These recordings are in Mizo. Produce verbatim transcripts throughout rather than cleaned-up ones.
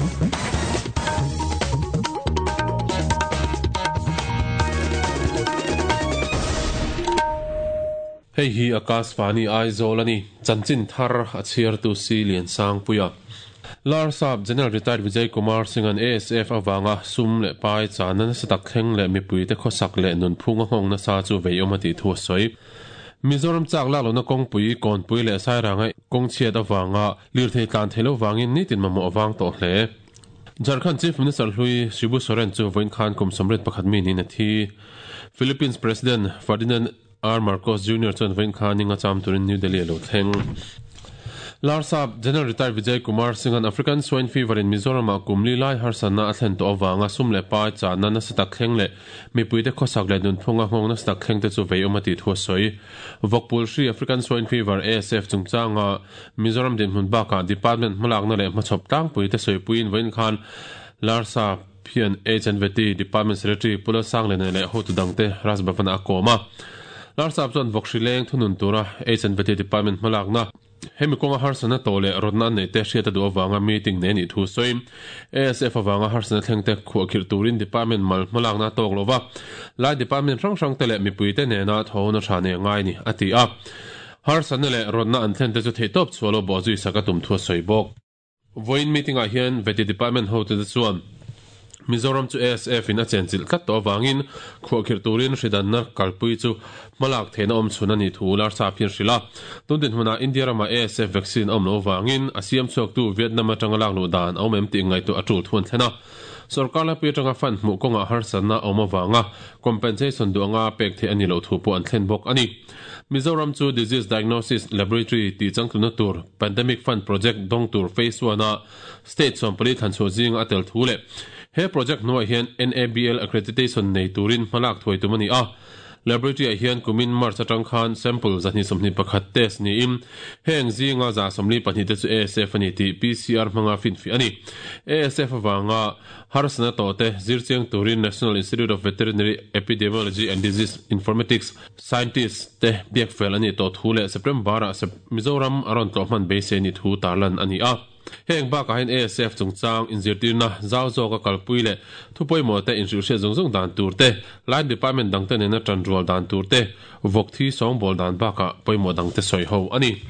Hei hi Akashvani Aizawl ani chanchin thar a chhiar tu si Lian Sang Puia. Larsap General Retired Vijay Kumar Singh an A S F awanga sum le pai chanan satak thleng le mipui te khosak le nun phunga hong na sa chu veiom ati thu soi. Mizoram chak la lo na kong pui kon pui le sai rangai kong chiat awanga lir thei tlan thelo wangin nitin mamo awang to hle. Jharkhand Chief Minister Hlui Shibu Soren chu voin khan kum somret pakhat mi ni na thi. Philippines President Ferdinand R. Marcos Junior chuan voin khan ninga cham turin New Delhi lo thleng. Larsap General Retired Vijay Kumar Singh an African Swine Fever in Mizoram a kumli lai harsana a thlen to awanga sum le pai chana na satak thleng le mipui te khosak le nun phunga hong na satak thleng te chu veiom ati thu soi. Vokpul Shri African Swine Fever A S F chungchanga Mizoram din hmun baka department hmalak na le hmachhop tlang pui te soi puin voin khan Larsap hian H and V T Department Secretary Pula Sanglene le hotu dangte Rajbhavan a koma. Larsap chuan vokshileng thunun tura H and V T Department hmalak na hemi konga harsana tole rodna nei te hriata du awanga meeting ne ni thu soim. A S F awanga harsana thleng te khu khir turin department mal hmalak na tok lova lai department rang rang te le mipui te ne na thona tha ne ngai ni ati a harsana le rodna an thlen te chu thei top chualo bo zui saka tum thu soi bok. Voin meeting a hian veti department ho te chuan Mizoram chu A S F in a chenchil tlat to awangin khu khir turin hridan na kalpui chu malak theina om chuna ni thu lar sa phir hrila tundin huna India rama A S F vaccine om lo wangin asiam chok tu Vietnam atanga lak lu dan om em ti ngai tu atul thun thlena sarkar la pi tanga fan mu konga harsana om awanga compensation duanga pek the ani lo thu pu an thlen bok ani. Mizoram chu Disease Diagnosis Laboratory ti changtluna tur Pandemic Fund Project dong tur phase one a state som pali than chu jing atel thule he project nuai hian N A B L accreditation nei turin hmalak thuai tumani a laboratory a hian kumin March atang khan sample zani somni pakhat test ni im heng zinga za somli pahnih te chu A S F ani ti P C R hmanga fin fi ani. A S F awanga harsana to te zirchiang turin National Institute of Veterinary Epidemiology and Disease Informatics scientists te biak fel ani to thule September a Mizoram aron to hman be se ni thu tarlan ani a. Heng ba ka hen A S F chungchang inzirtirna zau zawk a kalpui le thupawimawh te inhrilhriat zawng zawng dan tur te line department dang te nena tan rual dan tur te vawk thi sawngbawl dan bakah pawimawh dang te sawi ho ani.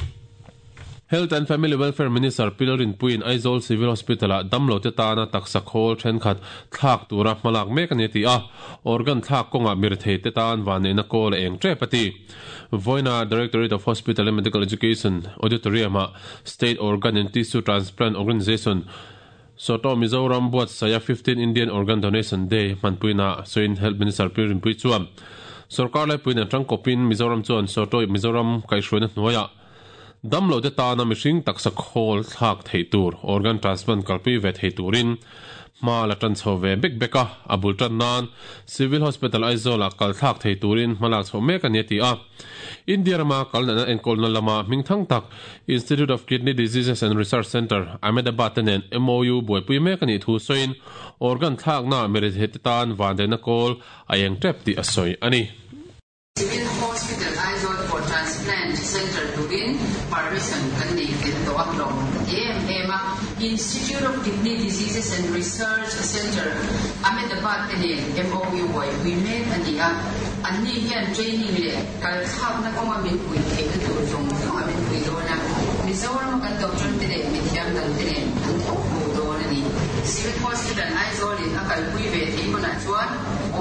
Health and Family Welfare Minister Pilarin Puin Aizawl Civil Hospital a damlo te tana taksa khawl thenkhat thlak tura hmalak mek ani ti a organ thlak kawnga mirthei te tan vanneihna kawl eng tep ati. Voina Directorate of Hospital and Medical Education Auditorium a State Organ and Tissue Transplant Organization Soto Mizoram buat saya fifteen Indian Organ Donation Day manpuina soin Health Minister Pilarin Pui chuan sarkar lai puin atang kopin Mizoram chuan Soto Mizoram kaihhruaina hnuaiah damlo te tana mihring taksa khawl thlak thei tur organ transplant kalpui ve thei turin hma la tan chho ve bek beka abul tan nan Civil Hospital Aizawl a kal thlak thei turin hmalak chho mek ani ti a. India rama kalna na enkawl na lama hmingthang tak Institute of Kidney Diseases and Research Center Ahmedabad te nen M O U buaipui mek ani thu sawiin organ thlak na merithe te tan vandeina kawl a eng tep ti a sawi ani. Civil Hospital Aizawl for Transplant Center turin permission kan nei tel to aklom em ema Institute of Kidney Diseases and Research Center Ahmedabad te nen M O U wai we mek ani a anni hian training le kal khak na konga min pui thei na tur zong zonga min pui dona Mizoram kan doctor te le mi thiam dang te nen an thok mu don ani. Civil Hospital Aizawl in akal pui ve thei huna chuan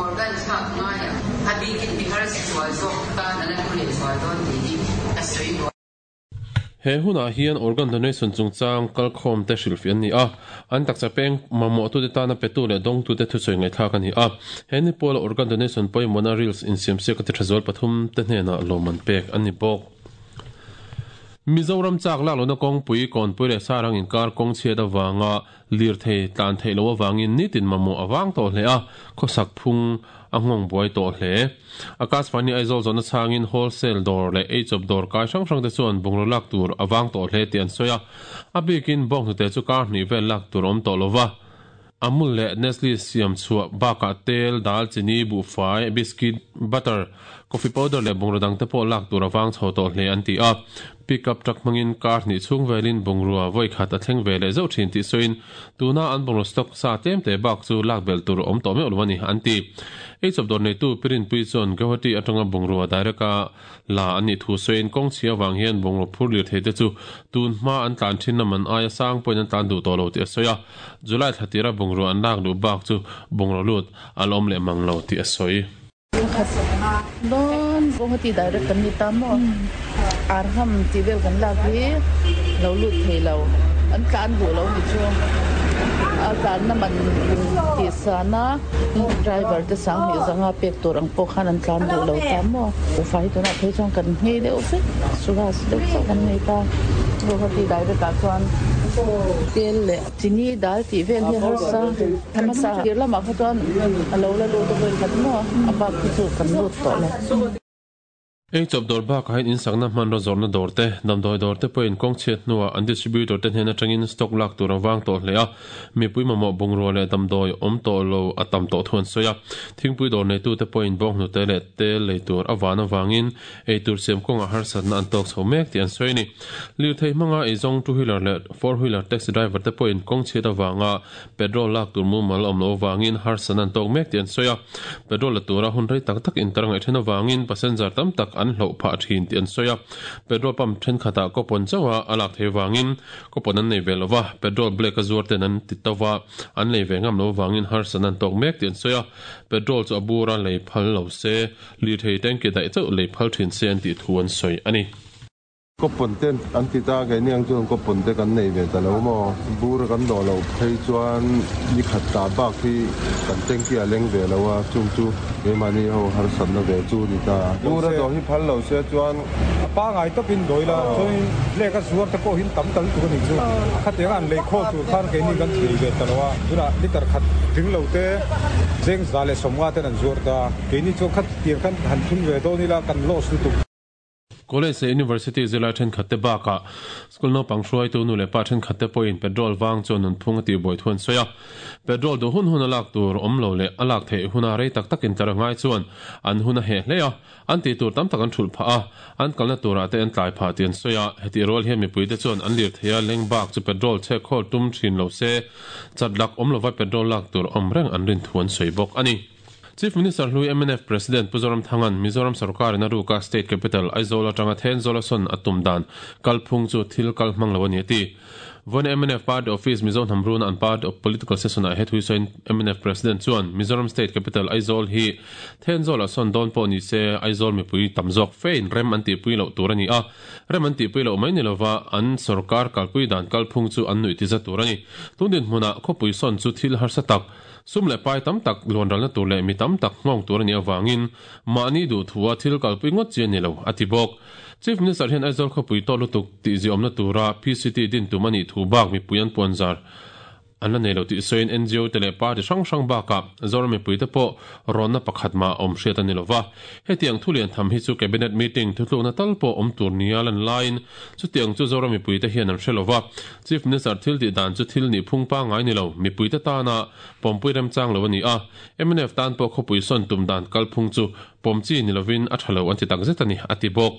organ thlak ngaia abikin bihar si chual zawk tan an an le chual don ti hi a soi bo. He huna hian organ donation chungchang kalkhawm te hrilhfi an ni a an taksa peng mamawh tu te tana petu le dawng tu te thusawi ngaihthlak ani a he ni pawla organ donation pawimawhna reels insiamsiak te thazawal pathum te hnenah lawman pek an ni bawk. Mizoram chak lak lona kawng pui kawn pui le sarang inkar kawng chhiat awanga lir thei tlan thei lo awangin nitin mamawh awang tawh hle a khawsak phung a nghawng buai tawh hle. Akashvani Aizawl zawhna changin wholesale dawr leh eichawp dawr kai hrang hrang te chuan bungraw lak tur awang tawh hle tih an sawi a a bikin bawng hnute chu kar hnih vel lak tur awm tawh lova Amul le Nestle siam chhuah bakah tel dal chini buhfai biscuit butter Coffee powder leh bungraw dang te pawh lak tur a vang chho tawh hle an ti a. Pickup truck hmangin kar hnih chhung velin bungrua vawi khat a thleng ve leh zauh thin tih sawiin tuna an bungraw stock sa tlem te bak chu lak belh tur a awm tawh meuh lo a ni an ti. Eichawp dawr neitu Pirinpui chuan Guwahati atanga bungrua direct a la an nih thu sawiin kawng chhia avang hian bungraw phur lir thei te chu tun hma an tlan thin na man aia sang pawhin an tlan duh tawh lo tih a sawi a. July thla tira bungrua an lak duh bak chu bungraw lut a la awm leh mang lo tih a sawi. Dawn Guwahati direct kan ni ta maw? Arham tih vel kan lak hi lo lut thei lo, an tlan duh lo ni chu. A tlanna man tih sana driver te sang hnih zanga pek tur ang pawh khan an tlan duh lo ta maw? Ufai tunah phei chuan kan nghei deuh vek, Suras deuh chauh kan nei ta. Guwahati direct ah chuan tel leh chini dal tih vel hi harsa. Hmasa tir lamah kha chuan a lo la lut a vawi khat maw? A bak khi chu kan lut tawh lo. Eichawp dawr bakah hian insakna hmanraw zawrhna dawr te, damdawi dawr te pawhin kawng chhiat hnuah an distributor te hnen atangin stock lak tur a vang tawh hle a, mipui mamawh bungrua leh damdawi awm tawh lo a tam tawh thu an sawi a. Thingpui dawr neitute pawhin bawnghnute leh tel lei tur a van avangin eitur siam kawngah harsatna an tawk chho mek tih an sawi a ni. Lirthei hmanga eizawng two wheeler leh four wheeler taxi driver te pawhin kawng chhiat avanga petrol lak tur mumal awm loh avangin harsatna an tawk mek tih an sawi a. Petrol la tura hun rei tak tak intar ngaih then avangin passenger tam tak an hloh phah thin tih an sawi a. Petrol pump thenkhatah kawpawn chauha a lak theih avangin kawpawn an nei ve lova, petrol black a zuar ten an ti to va, an lei ve ngam lo avangin harsatna an tawk mek tih an sawi a. Petrol chu a bura lei phal lo se, lirthei tanki daih chauh lei phal thin se an tih thu an sawi a ni. Kawpawn ten an ti ta, keini ang chuan kawpawn te kan nei ve ta lo maw? Bur kan dawh loh phei chuan ni khat ta bak hi kan tanki a leng ve lo a, chung chu keimahni ho harsatna ve chu ni ta. Bur a dawh hi phal lo se chuan a pangai tawpin dawi la, chuanin lek a zuar te pawh hin tam tal tur a nih chu. Khatiang an lei khawl tur khan keini kan thei ve ta lo a, tunah liter khat tling lo te cheng za leh sawmnga ten an zuar ta, keini chuan khatiang khan han thun ve dawn ila kan loss lutuk. College leh University zirlai thenkhat te bakah school naupang hruaitu nu leh pa thenkhat te pawhin petrol vang chuan nunphung a tihbuai thu an sawi a. Petrol duh hun hun a lak tur awm lo leh a lak theih huna rei tak takin tlar a ngai chuan an hun a heh hle a, an tih tur tam tak an thulh phah a, an kalna turah te an tlai phah tih an sawi a. Hetih rual hian mipuite chuan an lir thei a, leng bak chu petrol chhek khawl tum thin lo se, chat lak awm lova petrol lak tur awm reng an rin thu an sawi bawk a ni. Chief Minister hlui M N F President Pu Zoramthanga'n Mizoram sorkarin a ruka State Capital Aizawl atanga Thenzawl a sawn a tum dan kalphung chu thil kal hmang lo a ni a ti. Vawiin M N F Party Office Mizo hnam runa an party of political session ah he thui sawiin M N F President chuan Mizoram State Capital Aizawl hi Thenzawl a sawn dawn pawh ni se Aizawl mipui tam zawk fein rem an tihpui loh tur a ni a, rem an tihpui loh mai ni lova an sorkar kalpui dan kalphung chu an nuih ti za tur a ni. Tun dinhmunah khawpui sawn chu thil harsa tak sum leh pai tam tak luanralna tur leh mi tam tak nghawng tur a nih avangin mahni duh thua thil kalpui ngawt chi a ni lo, a ti bawk. Chief Minister hian Aizawl khawpui tawh lutuk tih ziawmna tura P C T din tum a nih thu bak mipui an puan zar an la nei lo tih sawiin N G O te leh party hrang hrang bakah Zoram mipui te pawh rawnna pakhat mah awm hriat a ni lova. Hetiang thu lian tham hi chu cabinet meeting thutlukna tal pawh awm tur nia lan laiin chutiang chu Zoram mipui te hian an hre lova. Chief Minister thil tih dan chu thil nih phung pangai ni lo, mipui te tana pawmpui remchang lo a ni a. M N F tan pawh khawpui sawn tum dan kalphung chu pawmchi ni lovin a tha lo an ti tak zet a ni, a ti bawk.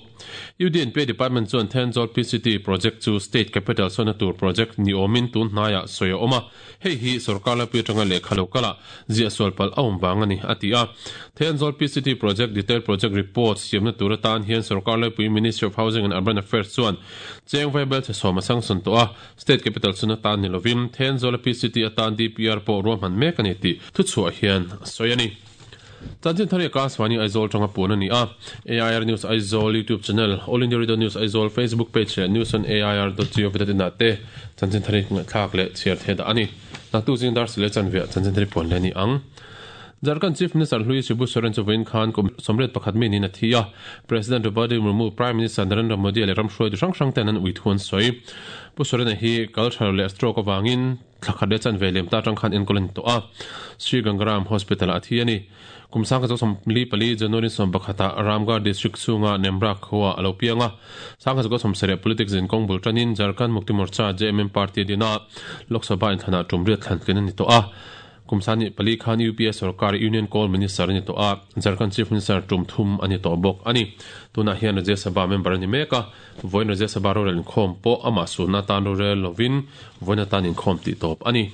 U D N P Department chuan Thenzawl P C T project chu State Capital sawn tur project ni awmin tun hnaiah sawi a awm a. Hei hi sarkar laipui atanga lehkha lo kala ziah sual palh a awm vang a ni, a ti a. Thenzawl P C T project detail project report siamna tur atan hian sarkar laipui Ministry of Housing and Urban Affairs chuan cheng vaibel che sawm a sangsawn tawh a. State Capital sawn atan ni lovin Thenzawl P C T atan D P R pawh ruahman mek a ni tih thuchhuah hian a sawi a ni. Chanchin thari Akashvani Aizawl tanga puan a ni a. A I R News Aizawl YouTube channel, All India Radio News Aizawl Facebook page leh news on A I R dot gov dot in ah te chanchin thari thlak leh chhiar the dah a ni. Naktuk zing dar sile chanviah chanchin thari puan le ni ang. Jharkhand Chief Minister hlui Shibu Soren chu vawiin khan kum sawmriat pakhat mi niin a thi a. President Draupadi Murmu, Prime Minister Narendra Modi leh ram hruaitu hrang hrang ten an ui thu an sawi. Pu Soren a hi cultural leh stroke avangin thlakhat leh chanve lem ta atang khan enkawl a ni tawh a. Sri Gangaram Hospital ah a thi a ni. Kum sangkhat chu sawmli pali January sawm pakhatah Ramgarh District chhunga Nemra khua a lo piang a. Sangkhat chu sawmsarih politics in kawng bul tanin Jharkhand Mukti Morcha J M M Party dina Lok Sabha inthlana tum riat thlan tlin a ni tawh a. Kumsani pali khan U P A sarkar Union Coal Minister ani to a Jharkhand Chief Minister tum thum ani to bok ani tuna hian Rajya Sabha member ani meka voin Rajya Sabha ro rel khom po ama sunna tan ro rel lovin voina tan in khom ti top ani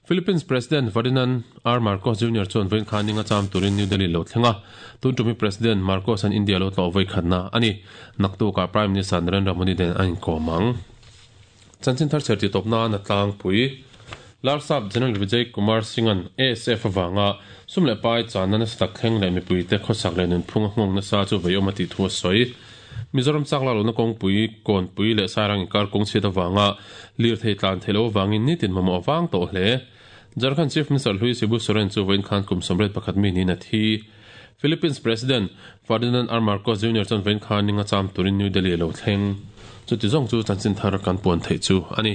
Philippines President Ferdinand R. Marcos Junior chuan voin khan ninga cham turin New Delhi lo thlenga tun tumi President Marcos an India lo tlo voi khatna ani naktu ka Prime Minister Narendra Modi den an komang chanchin thar cherti topna na tlang pui Larsap General Vijay Kumar Singh an A S F awanga sumle pai channa na sak thleng le mipui te khosak le nun phung hngong na sa chu veiomati thu soi Mizoram chakla lo na kong pui kon pui le sarang kar kong chhe ta wanga lir thei tlan thelo wangin ni tin mamo awang to hle Jharkhand Chief Minister Hlui Sibu Soren chu voin khan kum somret pakhat mi ni na thi Philippines President Ferdinand R. Marcos Junior chan voin khan ninga cham turin New Delhi lo thleng chu ti zong chu chanchin thar kan pon thei chu ani.